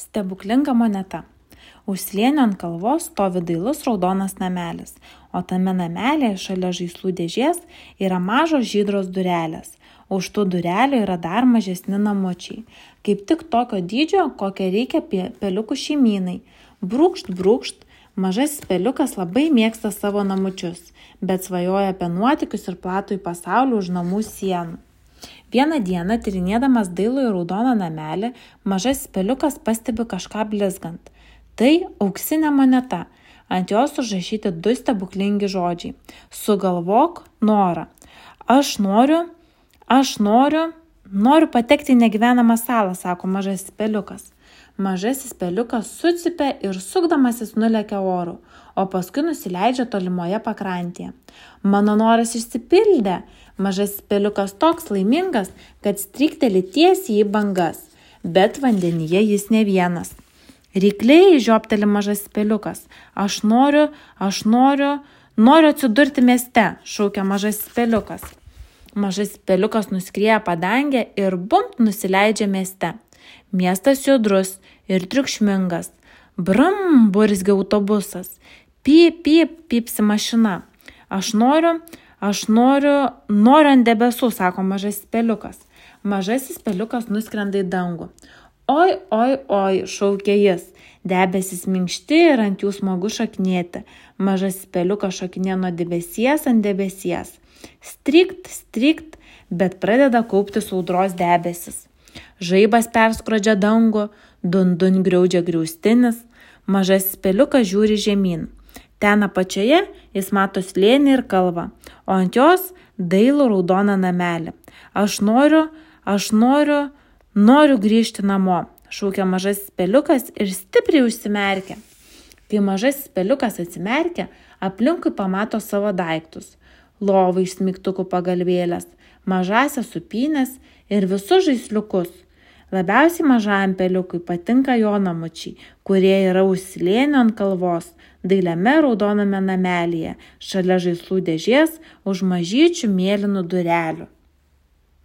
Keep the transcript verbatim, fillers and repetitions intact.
Stebuklinga moneta. Už slėnio ant kalvos stovi dailus raudonas namelis, o tame namelėje šalia žaislų dėžės yra mažos žydros durelės. Už tų durelių yra dar mažesni namučiai, kaip tik tokio dydžio, kokią reikia peliukų šeimynai. Brūkšt, brūkšt, mažasis peliukas labai mėgsta savo namučius, bet svajoja apie nuotykius ir platų į pasaulį už namų sienų. Vieną dieną, tyrinėdamas dailų ir raudoną namelį, mažasis peliukas pastebi kažką blizgant. Tai auksinė moneta. Ant jos užrašyti du stebuklingi žodžiai. Sugalvok norą. Aš noriu, aš noriu, noriu patekti į negyvenamą salą, sako mažasis peliukas. Mažasis peliukas sucypia ir sukdamasis nulekia oru, o paskui nusileidžia tolimoje pakrantėje. Mano noras išsipildė. Mažasis peliukas toks laimingas, kad strykteli tiesiai į bangas, bet vandenyje jis ne vienas. Rykliai, žiopteli mažasis peliukas. Aš noriu, aš noriu, noriu atsidurti mieste, šaukia mažasis peliukas. Mažasis peliukas nuskrieja padangę ir bumpt nusileidžia mieste. Miestas judrus ir triukšmingas. Brum, burzgia autobusas. Pyp, pyp, pypsi mašina. Aš noriu, aš noriu, noriu ant debesų, sako mažasis peliukas. Mažasis peliukas nuskrenda į dangų. Oi, oi, oi, šaukia jis. Debesis minkšti ir ant jų smagu šokinėti. Mažasis peliukas šokinė nuo debesies ant debesies. Strykt, strykt, bet pradeda kauptis audros debesis. Žaibas perskrodžia dangų, dun-dun griaudžia griaustinis. Mažasis peliukas žiūri žemyn. Ten apačioje jis mato slėnį ir kalvą, o ant jos dailų raudoną namelį. Aš noriu, aš noriu, noriu grįžti namo, šaukia mažasis peliukas ir stipriai užsimerkia. Kai mažasis peliukas atsimerkia, aplinkui pamato savo daiktus. Lovą iš smigtukų pagalvėlės, mažasias supynės ir visus žaisliukus. Labiausiai mažajam peliukui patinka jo namučiai, kurie yra už slėnio ant kalvos, dailiame raudoname namelyje, šalia žaislų dėžės už mažyčių mėlynų durelių.